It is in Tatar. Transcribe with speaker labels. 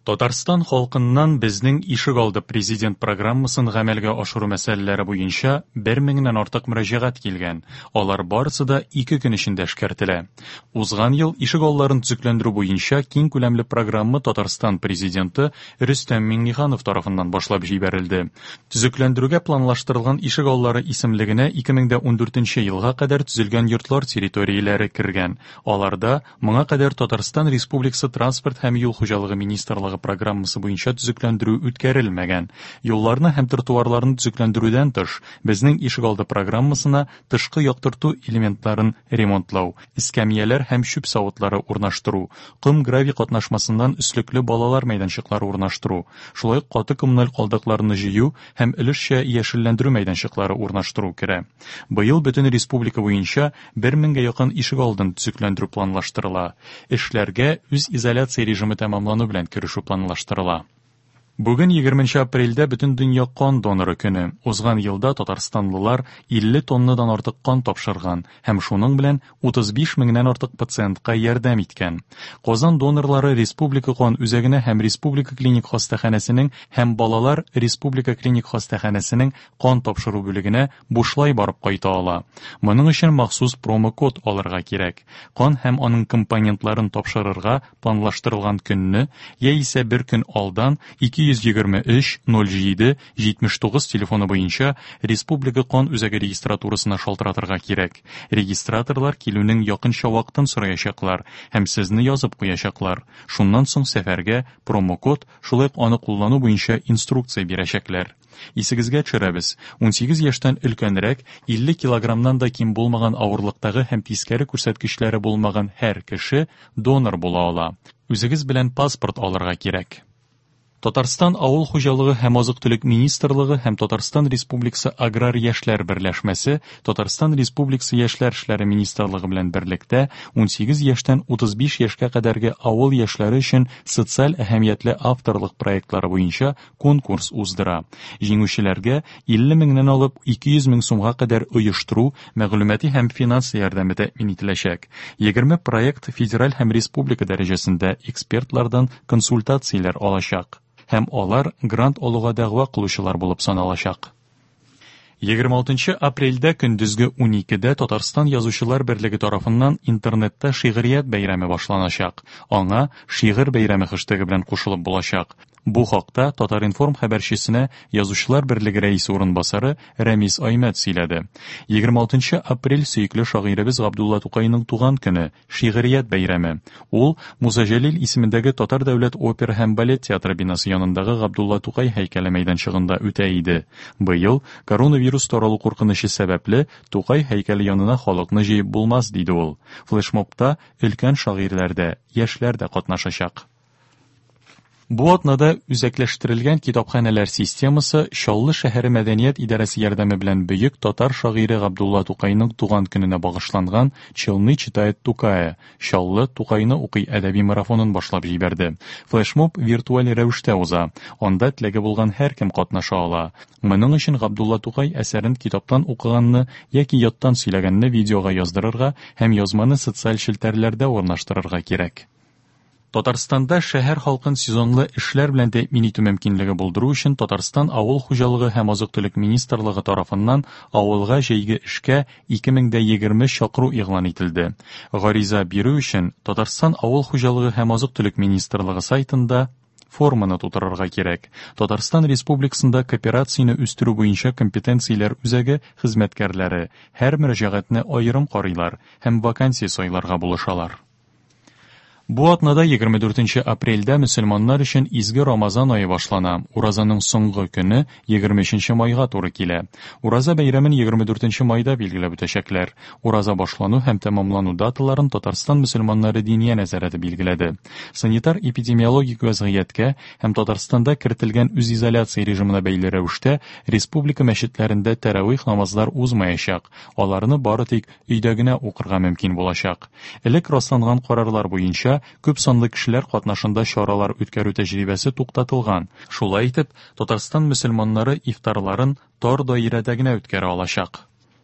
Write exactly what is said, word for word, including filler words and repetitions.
Speaker 1: Татарстан халкыннан «Безнең ишегалды» президент программасын гамәлгә ашыру мәсьәләләре буенча бер меңнән артык мөрәҗәгать килгән. Алар барысы да ике көн эчендә эшкәртелә. Узган ел ишегалларын төзекләндерү буенча киң күләмле программа Татарстан президенты Рөстәм Миңнеханов тарафыннан башлап җибәрелде. Төзекләндерүгә планлаштырылган ишегаллары исемлегенә ике мең дә ундүртенче елга кадәр төзелгән йортлар территорияләре кергән. Аларда моңа кадәр Татарстан Республикасы Транспорт һәм юл хуҗалыгы министрлыгы программасы буенча төзекләндерү үткәрелмәгән. Юлларны һәм тротуарларны төзекләндерүдән тыш, «Безнең ишегалды» программасына тышкы яктырту элементларын ремонтлау, эскәмияләр һәм чүп савытлары урнаштыру, ком-гравий катнашмасыннан өслекле балалар мәйданчыклары урнаштыру, шулай ук каты коммуналь калдыкларны җыю һәм өлешчә яшелләндерү мәйданчыклары урнаштыру керә. Быел бөтен республика буенча бер меңгә якын ишегалдын төзекләндерү планлаштырыла. Эшләргә үз изоляция режимы тәмамлану белән керешү планлаштырыла. Бүген егерменче апрельдә бөтен дөнья кан доноры көне. Узган елда татарстанлылар илле тоннадан артык кан тапшырган һәм шуның белән утыз биш меңнән артык пациентка ярдәм иткән. Казан донорлары Республика кан үзәгенә һәм Республика клиник хастаханәсенең һәм балалар Республика клиник хастаханәсенең кан тапшыру бүлегенә бушлай барып кайта ала. Моның өчен махсус промокод алырга кирәк. Кан һәм аның компонентларын тапшырырга планлаштырылган көнне яисә бер көн алдан ике йөз егерме өч ноль җиде җитмеш тугыз телефоны буенча Республика кан үзәге регистратурасына шалтыратырга кирәк. Регистраторлар килүнең якынча вакытын сораячаклар һәм сезне язып куячаклар. Шуннан соң сәфәргә промокод, шулай ук аны куллану буенча инструкция бирәчәкләр. Исегезгә төшерәбез, унсигез яшьтән өлкәнрәк, илле килограммнан да ким булмаган авырлыктагы һәм тискәре күрсәткечләре булмаган һәр кеше донор була ала. Үзегез белән паспорт алырга кирәк. Татарстан Авыл хуҗалыгы һәм азык-төлек министрлыгы һәм Татарстан Республикасы Аграр яшьләр берләшмәсе Татарстан Республикасы Яшьләр эшләре министрлыгы белән берлектә унсигез яшьтән утыз биш яшькә кадәрге авыл яшьләре өчен социаль әһәмиятле авторлык проектлары буенча конкурс уздыра. Җиңүчеләргә илле меңнән алып ике йөз мең сумга кадәр оештыру, мәгълүмати һәм финанс ярдәме тәэмин ителәчәк. Егерме проект федераль һәм республика дәрәҗәсендә экспертлардан консультацияләр алачак. Һәм алар грант алуга дәгъва кылучылар булып саналачак. Егерме алтынчы апрельдә көндезге уникедә Татарстан Язучылар берлеге тарафыннан интернетта шигърият бәйрәме башланачак. Аңа шигырь бәйрәме хэштегы белән кушылып булачак. Бу хакта Татар-информ хәбәрчесенә Язучылар берлеге рәисе урынбасары Рәмис Аймәт сөйләде. Егерме алтынчы апрель сөекле шагыйребез Габдулла Тукайның туган көне, шигърият бәйрәме. Ул Муса Җәлил исемендәге Татар дәүләт опера һәм балет театры бинасы янындагы Габдулла Тукай һәйкәле мәйданчыгында үтә иде. Быел коронавирус таралу куркынычы сәбәпле Тукай һәйкәле янына халыкны җыеп булмас, диде ул. Флешмобта өлкән шагыйрьләр дә, яшьләр дә катнашачак. Бу атнада үзәкләштерелгән китапханәләр системасы Чаллы шәһәре мәдәният идарәсе ярдәме белән бөек татар шагыйре Габдулла Тукайның туган көненә багышланган Челны читает Тукая, Чаллы Тукайны укый әдәби марафонын башлап җибәрде. Флешмоб виртуаль рәвештә уза. Анда теләге булган һәркем катнаша ала. Моның өчен Габдулла Тукай әсәрен китаптан укыганны яки яттан сөйләгәнне видеога яздырырга һәм язманы социаль челтәрләрдә урнаштырырга кирәк. Татарстанда шәһәр халкын сезонлы эшләр белән тәэмин итү мөмкинлеге булдыру өчен Татарстан Авыл хуҗалыгы һәм азык-төлек министрлыгы тарафыннан авылга җәйге эшкә ике мең дә егерме чакыру игълан ителде. Гариза бирү өчен Татарстан Авыл хуҗалыгы һәм азык-төлек министрлыгы сайтында форманы тутырырга кирәк. Татарстан Республикасында кооперацияне үстерү буенча компетенцияләр үзәге хезмәткәрләре һәр мөрәҗәгатьне аерым карыйлар һәм вакансия сайларга булышалар. Бу атнада егерме дүртенче апрельдә мөселманнар өчен изге Рамазан ае башлана. Уразаның соңгы көне егерме өченче майга туры килә. Ураза бәйрәмен егерме дүртенче майда билгеләп үтәчәкләр. Ураза башлану һәм тәмамлану даталарын Татарстан мөселманнары диния нәзарәте билгеләде. Санитар-эпидемиологик вазгыятькә һәм Татарстанда кертелгән үзизоляция режимына бәйле рәвештә республика мәчетләрендә тәравих намазлар узмаячак. Аларны бары тик өйдә генә укырга мөмкин булачак. Элек расланган карарлар буенча күп санлы кешеләр катнашында чаралар үткәрү тәҗрибәсе туктатылган. Шулай итеп, Татарстан мөселманнары ифтарларын тар даирәдә генә үткәрә алачак.